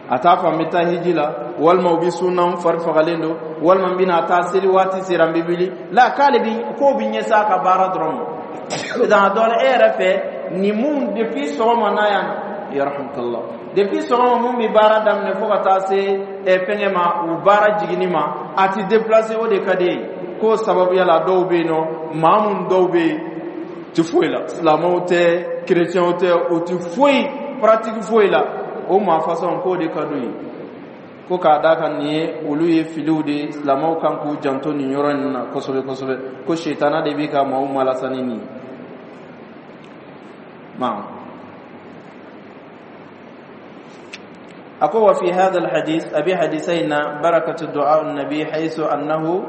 a t'a fɔ n bɛ taa hiji la, walima u bɛ sun na, n fari fagalen don, walima n bɛna taa seli, waati sera, n bɛ wuli la, k'ale bi k'o bi ɲɛsin a ka baara dɔrɔn ma. Dans dɔ la, e yɛrɛ fɛ nin mun, depuis sɔgɔma n'a yan, yarhamukallah, depuis sɔgɔma mun bɛ baara daminɛ fo ka taa se fɛnkɛ ma, u baara jiginni ma, a ti déplacer, o de ka di ye. K'o sababuya la, dɔw bɛ yen nɔ, maa mun dɔw bɛ yen ti foyi la, silamɛw tɛ, chrétienw tɛ, o ti foyi pratique foyi la, o maa façon k'o de ka d'u ye. Ko k'a da kan nin ye, olu ye filiw de, silamɛw kan k'u janto nin yɔrɔ in na kosɛbɛ kosɛbɛ, ko sitana de bɛ ka maaw malasani nin ye. Naam, أقول وفي هذا الحديث أبي حديثين بركة دعاء النبي، حيث أنه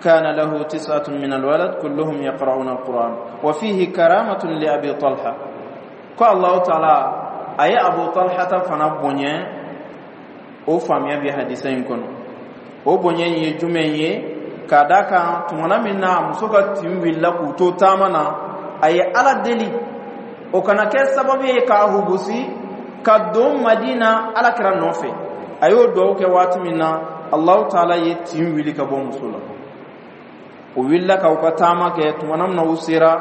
كان له تسعة من الولد كلهم يقرؤون القرآن، وفيه كرامة لأبي طلحة. قال الله تعالى أي أبو طلحة فنبني o faamuya bɛ hadisa in kɔnɔ. O bonya in ye jumɛn ye? K'a d'a kan tumana min na muso ka tin wulila k'u to taama na, a ye Ala deli o kana kɛ sababu ye k'a hubusi ka don Madina Ala kira nɔfɛ. A y'o duwawu kɛ waati min na, Alahu taala ye tin wuli ka bɔ muso la. O wulila ka u ka taama kɛ, tumana min na u sera,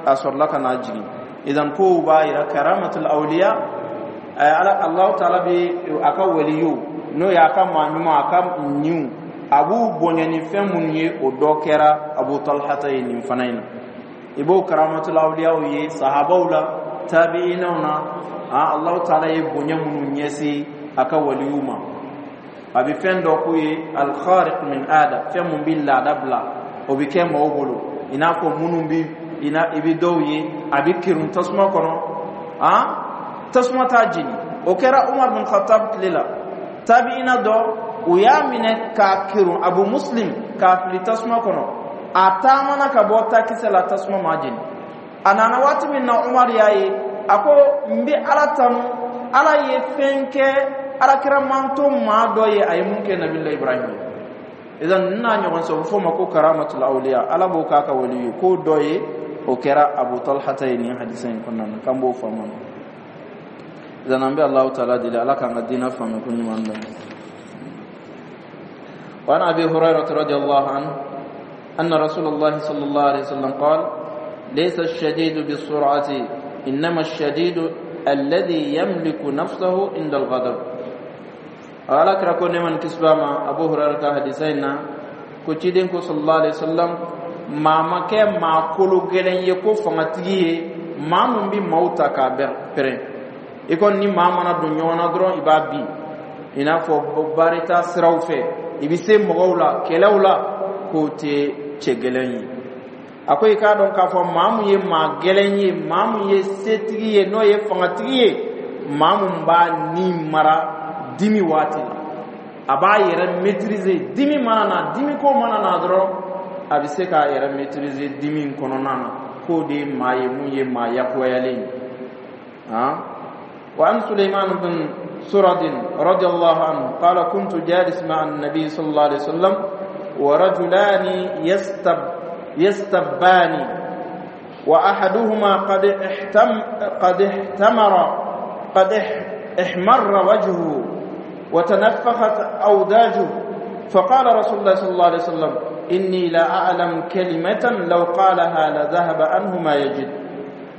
a sɔrɔla ka n'a jigin. Idan kow b'a yira karamatul awliya, ala Alahu taala bɛ a ka waliyu, n'o y'a ka maa ɲuman, a ka ɲiw, a b'u bonya ni fɛn minnu ye, o dɔ kɛra Abu Talhata ye nin fana in na. I b'o karamatul awliyaw ye sahabaw la, tabi'inaw na. Alahu taala ye bonya minnu ɲɛsin a ka waliyu ma, a bɛ fɛn dɔ k'u ye al-khariq min ada, fɛn mun bɛ laada bila, o bɛ kɛ maaw bolo, i n'a fɔ minnu bɛ i bɛ dɔw ye a bɛ kerun tasuma kɔnɔ, tasuma t'a jeni. O kɛra Umar bin Khattab tile la. Tabi'ina dɔ, u y'a minɛ k'a kerun, Abu Muslim, k'a fili tasuma kɔnɔ, a taamana ka bɔ takisɛ la, tasuma m'a jeni. A nana waati min na, Umar y'a ye, a ko n bɛ Ala tanu, Ala ye fɛn kɛ alakira manto maa dɔ ye, a ye mun kɛ Nabila Ibrahim ye. Idan nin n'a ɲɔgɔn sɔrɔ, f'o ma ko karamatul awliya, Ala b'o k'a ka wali ye. K'o dɔ ye, o kɛra Abu Talhata ye nin hadisa in kɔnɔna na, k'an b'o faamu. Idan an bɛ Alahu taala deli, Ala k'an ka diinɛ faamu ko ɲuman dɔn. وعن أبي هريرة رضي الله عنه أن رسول الله صلى الله عليه وسلم قال: ليس الشديد بالسرعة، إنما الشديد الذي يملك نفسه عند الغضب. Ala kira ko nɛɛma ni kisi b'a ma, Abu Hurairah ka hadisa in na, ko ciden ko sallallahu alaihi wasallam, maa ma kɛ maa kolo gɛlɛn ye ko fangatigi ye maa mun bi maaw ta k'a pɛrɛn. I kɔni ni maa mana don ɲɔgɔn na dɔrɔn, i b'a bin, i n'a fɔ baarita siraw fɛ, i bɛ se mɔgɔw la kɛlɛw la, k'o tɛ cɛ gɛlɛn ye. A ko i k'a dɔn k'a fɔ maa mun ye maa gɛlɛn ye, maa mun ye setigi ye, n'o ye fangatigi ye, maa mun b'a ni mara dimi waati la, a b'a yɛrɛ maîtriser. Dimi mana na, dimi ko mana na dɔrɔn, a bɛ se k'a yɛrɛ maîtriser dimi in kɔnɔna na, k'o de ye maa ye mun ye maa yakuyalen ye. Han, wa an Suleyman bin سرد رضي الله عنه قال كنت جالس مع النبي صلى الله عليه وسلم ورجلان يستب يستبان وأحدهما قد احتم قد احتمر قد احمر وجهه وتنفخت أوداجه فقال رسول الله صلى الله عليه وسلم إني لا أعلم كلمة لو قالها لذهب عنه ما يجد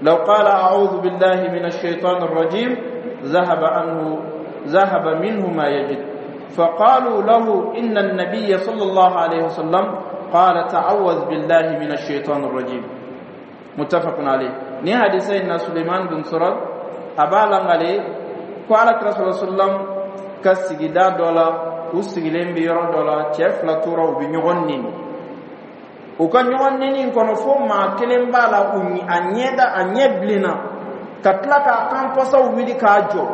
لو قال أعوذ بالله من الشيطان الرجيم ذهب عنه ذهب منه ما يجد فقالوا له إن النبي صلى الله عليه وسلم قال تعوذ بالله من الشيطان الرجيم متفق عليه ni hadisa in Suleiman bin Surad a b'a langale ko ala kira sallallahu alaihi wasallam ka sigida dɔ la u sigilen bɛ yɔrɔ dɔ la cɛ fila tora u bɛ ɲɔgɔn neni u ka ɲɔgɔn neni in kɔnɔ fo maa kelen b'a la u a ɲɛda a ɲɛ bilenna ka tila k'a kan pasaw wuli k'a jɔ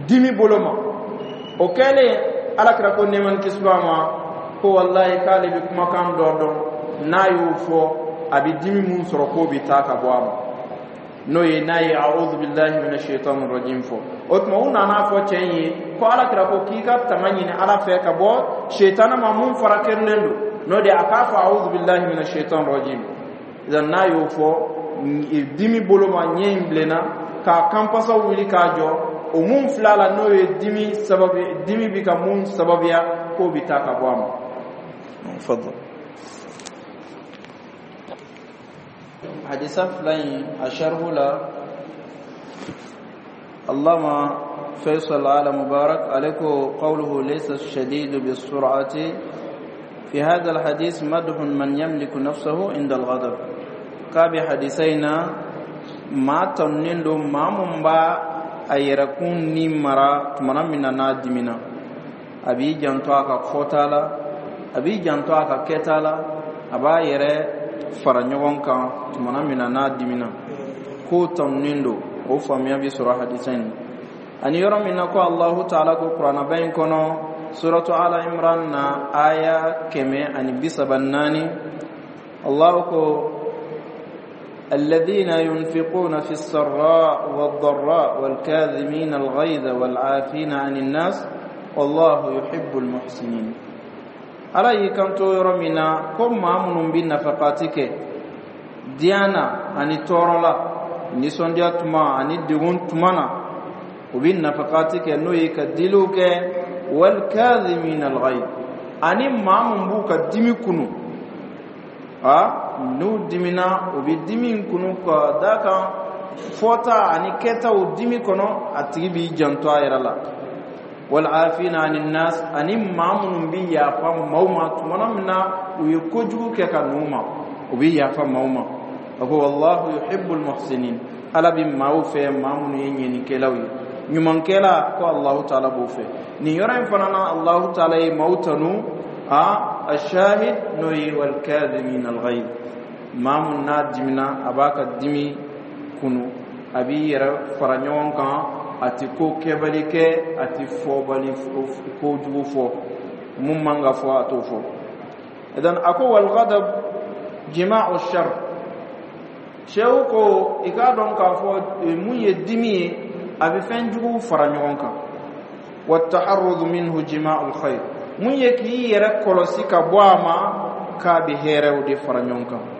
dimi bolo ma o kɛlen ala kira ko nɛɛma ni kisi b'a ma ko walayi k'ale bɛ kumakan dɔ dɔn n'a y'o fɔ a bɛ dimi mun sɔrɔ k'o bɛ taa ka bɔ a ma n'o ye n'a ye a'udhu billahi minash shaitani rajim fɔ o tuma u nana fɔ cɛ in ye ko ala kira ko k'i ka tanga ɲini ala fɛ ka bɔ shaitana ma mun fara kerilen don n'o de a k'a fɔ a'udhu billahi minash shaitani rajim idan n'a y'o fɔ dimi bolo ma ɲɛ in bilenna k'a kanpasaw wuli k'a jɔ o mun fila la n'o ye dimi sababu dimi bi ka mun sababuya k'o bi taa ka bɔ a ma fadal hadisa fila in a sharhu la allama faisal ala mubarak ale ko qawluhu laysa ash-shadidu bis-sur'ati fi hadha al-hadith madhun man yamliku nafsahu inda al-ghadab k'a bɛ hadisa in na maa tanunen don maa mun b'a a yɛrɛkun ni mara tumana min na n'a dimina a b'i janto a ka fɔta la a b'i janto a ka kɛta la a b'a yɛrɛ fara ɲɔgɔn kan tumana min na n'a dimina k'o tanunen don o faamuya bɛ sɔrɔ hadisa in na ani yɔrɔ min na ko alahu taala ko kuranaba in kɔnɔ suratu ala imran na aya kɛmɛ ani bi saba naani allahu ko الذين ينفقون في السراء والضراء والكاظمين الغيظ والعافين عن الناس والله يحب المحسنين ala y'i kanto yɔrɔ min na ko maa minnu bɛ nafakati kɛ diya na ani tɔɔrɔ la nisɔndiya tuma ani degun tuma na u bɛ nafakati kɛ n'o ye ka diliw kɛ walkadhimina alghayz ani maa min b'u ka dimi kunu a n'u dimina u bɛ dimi in kunu ka d'a kan fɔta ani kɛtaw dimi kɔnɔ a tigi b'i janto a yɛrɛ la walafina ani nas ani maa minnu bɛ yafa maaw ma tumana min na u ye kojugu kɛ ka n'u ma u bɛ yafa maaw ma a ko wallahu yuhibbul muhsinin ala bɛ maaw fɛ maa minnu ye ɲɛnikɛlaw ye ɲumankɛla ko alahu taala b'o fɛ nin yɔrɔ in fana na alahu taala ye maaw tanu a ashahid n'o ye walkadhimin alghayz maa mun n'a dimina a b'a ka dimi kunu a b'i yɛrɛ fara ɲɔgɔn kan a ti ko kɛbali kɛ a ti fɔbali kojugu fɔ mun man ka fɔ a t'o fɔ idan a ko walghadab jima'u shar sew ko i k'a dɔn k'a fɔ mun ye dimi ye a bɛ fɛn jugu fara ɲɔgɔn kan wattaharrud minhu jima'u alkhair mun ye k'i yɛrɛ kɔlɔsi ka bɔ a ma k'a bɛ hɛrɛw de fara ɲɔgɔn kan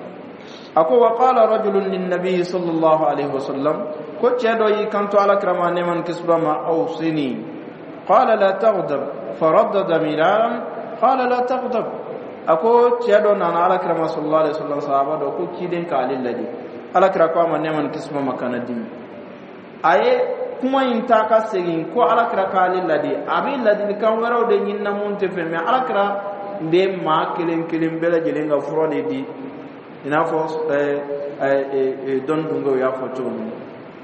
a ko wa qala rajulun linnabiyi sallallahu alaihi wasallam ko cɛ dɔ y'i kanto ala kira ma nɛɛma ni kisi b'a ma awsini qala la taghdab faraddada miraran qala la taghdab a ko cɛ dɔ nana ala kira ma sallallahu alaihi wasallam sahaba dɔ ko ciden k'ale ladi ala kira ko a ma nɛɛma ni kisi b'a ma kana dimi a ye kuma in ta ka segin ko ala kira k'ale ladi a bɛ ladilikan wɛrɛw de ɲini na mun tɛ fɛ mɛ ala kira bɛ maa kelen kelen bɛɛ lajɛlen ka fura de di i n'a fɔ dɔnni dungew y'a fɔ cogo min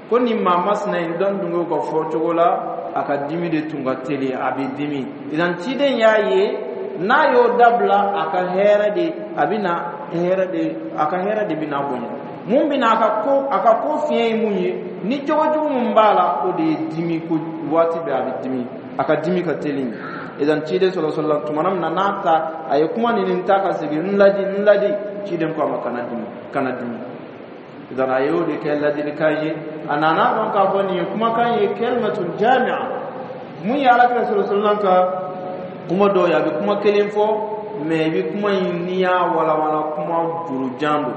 ko nin maa masina in dɔnni dungew ka fɔ cogo la a ka dimi de tun ka teli a bɛ dimi idan ciden y'a ye n'a y'o dabila a ka hɛrɛ de a bɛ na hɛrɛ de a ka hɛrɛ de bɛ na bonya mun bɛ na a ka ko a ka ko fiɲɛ ye mun ye ni jogojugu mun b'a la o de ye dimi ko waati bɛɛ a bɛ dimi a ka dimi ka teli idan ciden sɔlɔ sɔlɔ tumana min na n'a ta a ye kuma nin ta ka segin n ladi n ladi ciden ko a ma kana dimi kana dimi idan a y'o de kɛ ladilikan ye a nana dɔn k'a fɔ nin ye kumakan ye kalimatun jami'a Mun ye Alakira sallallahu alaihi wasallam ka kuma dɔw ye, a bɛ kuma kelen fɔ, mais i bɛ kuma in, n'i y'a walawala, kuma jurujan don.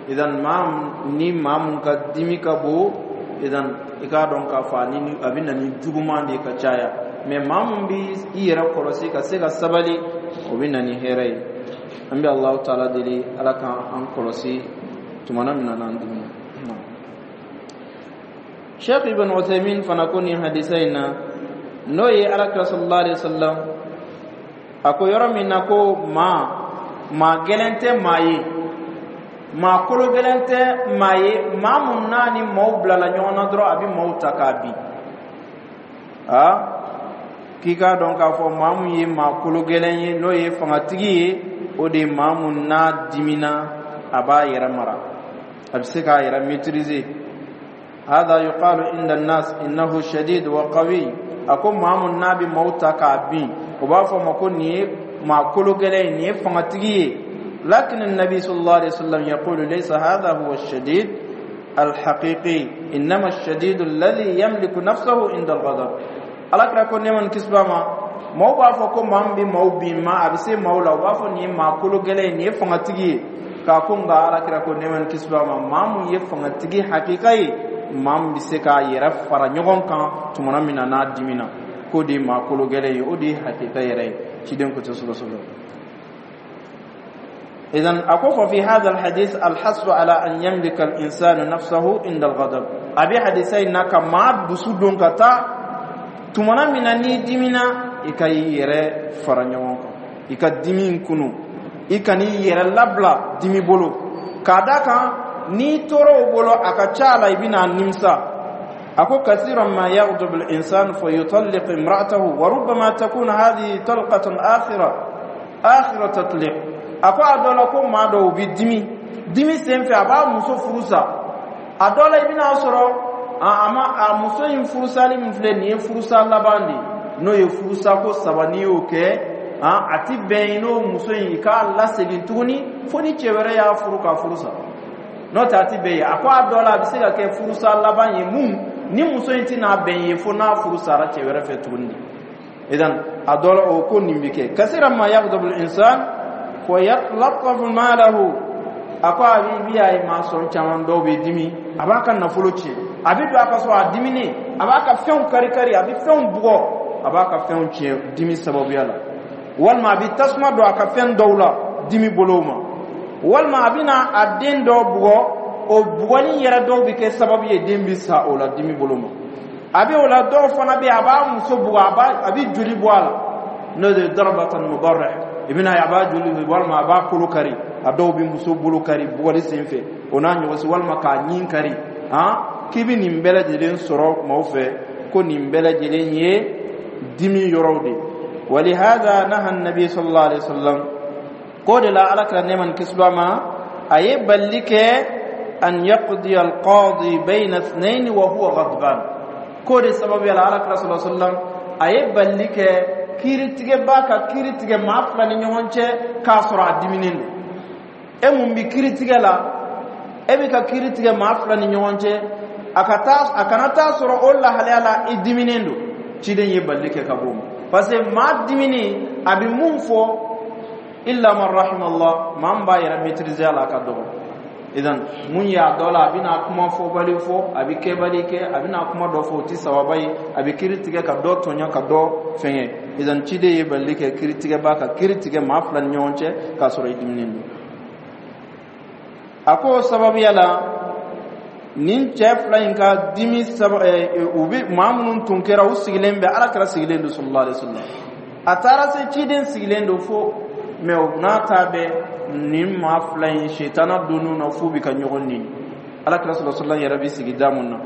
Idan maa ni maa mun ka dimi ka bon, idan i k'a dɔn k'a fɔ ani a bɛ na ni juguman de ye ka caya. Mais maa mun bɛ i yɛrɛ kɔlɔsi ka se ka sabali, o bɛ na ni hɛrɛ ye. An bɛ Alahu taala deli, Ala k'an kɔlɔsi tumana min na n'an dimina. Sheikh Ibn Uthaymin fana ko nin hadisa in na, n'o ye Alakira sallallahu alaihi wasallam a ko yɔrɔ min na ko maa maa gɛlɛn tɛ maa ye, maa kolo gɛlɛn tɛ maa ye, maa mun n'a ni maaw bilala ɲɔgɔn na dɔrɔn, a bɛ maaw ta k'a bin. A k'i k'a dɔn k'a fɔ maa mun ye maa kolo gɛlɛn ye, n'o ye fangatigi ye, o de ye maa mun n'a dimina, a b'a yɛrɛ mara, a bɛ se k'a yɛrɛ maîtriser. هذا يقال عند الناس إنه شديد وقوي. A ko maa mun n'a bɛ maaw ta k'a bin, o b'a fɔ ma ko nin ye maa kolo gɛlɛn ye, nin ye fangatigi ye. لكن النبي صلى الله عليه وسلم يقول ليس هذا هو الشديد الحقيقي، إنما الشديد الذي يملك نفسه عند الغضب. Alakira ko nɛɛma ni kisi b'a ma, maaw b'a fɔ ko maa min bɛ maaw bin ma, a bɛ se maaw la, u b'a fɔ nin ye maa kolo gɛlɛn ye, nin ye fangatigi ye. K'a ko nka Alakira ko nɛɛma ni kisi b'a ma, maa mun ye fangatigi hakika ye, maa min bɛ se k'a yɛrɛ fara ɲɔgɔn kan tumana min na n'a dimina, k'o de ye maa kolo gɛlɛn ye, o de ye hakika yɛrɛ ye. Ciden ko tɛ sɔlɔ sɔlɔ. إذن أكو في هذا الحديث الحث على أن يملك الإنسان نفسه عند الغضب. A bɛ hadisa in na ka maa dusu don ka taa tumana min na n'i dimina, i ka i yɛrɛ fara ɲɔgɔn kan, i ka dimi in kunu, i kan'i yɛrɛ labila dimi bolo, k'a da kan n'i tora o bolo, a ka ca la i bɛna nimisa. A ko كثيرا ما يغضب الإنسان فيطلق امرأته، وربما تكون هذه طلقة آخرة آخر تطليق. A ko a dɔ la ko maa dɔw bɛ dimi, dimi sen fɛ, a b'a muso furu sa. A dɔ la, i bɛna sɔrɔ a ma a muso in furusali min filɛ nin ye, furusa laban de ye, n'o ye furusa ko saba, n'i y'o kɛ, a ti bɛn n'o muso in i k'a lasegin tuguni fo ni cɛ wɛrɛ y'a furu ka furu sa, n'o tɛ a ti bɛn ye. A ko a dɔ la, a bɛ se ka kɛ furusa laban ye mun ni muso in tɛna bɛn ye fo n'a furu sara cɛ wɛrɛ fɛ tuguni de. Idan a dɔ la, o ko nin bɛ kɛ. كثيرا ما يغضب الإنسان فيتلف ماله. A ko a b'i a ye maa sɔrɔ caman dɔw bɛ dimi, a b'a ka nafolo tiɲɛ, a bɛ don a ka so a diminen, a b'a ka fɛnw kari kari, a bɛ fɛnw bugɔ, a b'a ka fɛnw tiɲɛ dimi sababuya la, walima a bɛ tasuma don a ka fɛn dɔw la dimi bolo ma, walima a bɛna a den dɔw bugɔ, o bugɔli yɛrɛ dɔw bɛ kɛ sababu ye den bɛ sa o la dimi bolo ma. A bɛ o la, dɔw fana bɛ yen, a b'a muso bugɔ, a b'a a bɛ joli bɔ a la, n'o de ye ضربة مبرح. I bɛna ye a b'a joli, walima a b'a kolo kari, a dɔw bɛ muso bolo kari bugɔli sen fɛ, o n'a ɲɔgɔnsi, walima k'a ɲin kari. Han, k'i bɛ nin bɛɛ lajɛlen sɔrɔ maaw fɛ, ko nin bɛɛ lajɛlen ye dimi yɔrɔw de. ولهذا نهى النبي صلى الله عليه وسلم, k'o de la Ala kira nɛɛma ni kisi b'a ma, a ye balili kɛ أن يقضي القاضي بين اثنين وهو غضبان. K'o de sababuya la, Ala kira صلى الله عليه وسلم a ye balili kɛ kiiritigɛba ka kiiri tigɛ maa fila ni ɲɔgɔn cɛ k'a sɔrɔ a diminen don. E mun bi kiiri tigɛ la, e bɛ ka kiiri tigɛ maa fila ni ɲɔgɔn cɛ, a ka taa a kana taa sɔrɔ o lahalaya la i diminen don. Ciden ye balili kɛ ka bɔ o ma, parce que maa diminen, a bɛ mun fɔ, إلا من رحم الله, maa min b'a yɛrɛ maîtriser a la, a ka dɔgɔ. Idan mun ye, a dɔ la, a bɛna kuma fɔbali fɔ, a bɛ kɛbali kɛ, a bɛna kuma dɔ fɔ, o tɛ sababa ye, a bɛ kiiri tigɛ ka dɔ tɔɲɔ, ka dɔ fɛngɛ. Idan ciden ye balili kɛ kiiritigɛba ka kiiri tigɛ maa fila ni ɲɔgɔn cɛ k'a sɔrɔ i diminen don. A ko sababuya la, nin cɛ fila in ka dimi saba, u bɛ maa minnu tun kɛra, u sigilen bɛ, Ala kɛra sigilen don صلى الله عليه وسلم. A taara se ciden sigilen don fo mɛ, o n'a ta bɛɛ, nin maa fila in setana donn'u na f'u bɛ ka ɲɔgɔn neni. Ala kira صلى الله عليه وسلم yɛrɛ bɛ sigi da mun na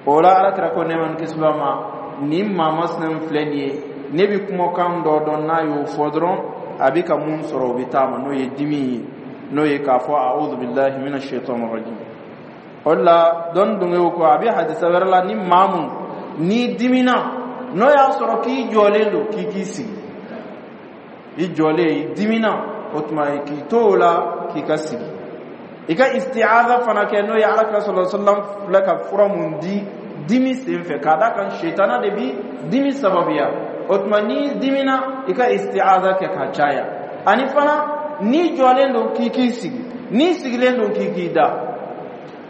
o la, Ala kira ko nɛɛma ni kisi b'a ma, nin maa masina min filɛ nin ye, ne bɛ kumakan dɔ dɔn, n'a y'o fɔ dɔrɔn, a bɛ ka mun sɔrɔ, o bɛ taa ma, n'o ye dimi ye, n'o ye k'a fɔ أعوذ بالله من الشيطان الرجيم. O de la dɔnni dongew ko a bɛ hadisa wɛrɛ la, ni maa mun n'i dimina, n'o y'a sɔrɔ k'i jɔlen don, k'i k'i sigi, i jɔlen, i dimina, o tuma k'i to o la k'i ka sigi, i ka isti'aza fana kɛ, n'o ye Ala kira صلى الله عليه وسلم filɛ ka fura mun di. Dimi sen fɛ, k'a da kan setana de bi dimi sababuya. O tuma n'i dimina, i ka istiaza kɛ ka caya. Ani fana, n'i jɔlen don, k'i k'i sigi, n'i sigilen don, k'i k'i da.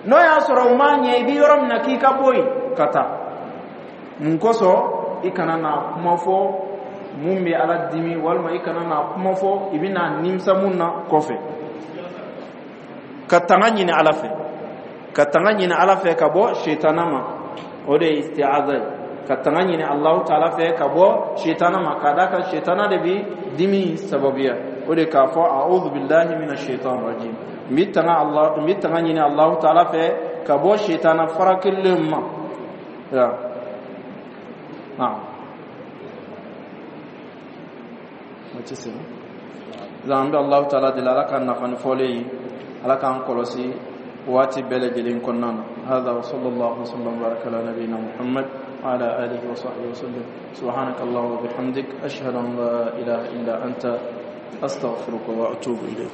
N'o y'a sɔrɔ o m'a ɲɛ, i bi yɔrɔ min na, k'i ka bɔ yen ka taa. Mun kosɔn? I kana na kuma fɔ mun bɛ Ala dimi, walima i kana na kuma fɔ i bɛna nimisa mun na kɔfɛ. Ka tanga ɲini Ala fɛ, ka tanga ɲini Ala fɛ ka bɔ setana ma, o de ye istiaza ye. Ka tanga ɲini Alahu taala fɛ ka bɔ setana ma, k'a d'a kan setana de bi dimi sababuya. O de k'a fɔ: "A'udhu billahi minash shaitan rajim", n bi tanga Allah, n bi tanga ɲini Alahu taala fɛ ka bɔ setana farakelen ma. Ya, naam, waati sera. An bɛ Alahu taala deli, Ala ka nafa ni fɔlen ye, Ala k'an kɔlɔsi waati bɛɛ lajɛlen kɔnɔna na. Hada wa sallallahu wasallam baraka ala nabiyina Muhammad wa ala alihi wa sahbihi wa sallam. Subhanaka Allahumma wa bihamdik, ashhadu an la ilaha illa anta, astaghfiruka wa atubu ilayk.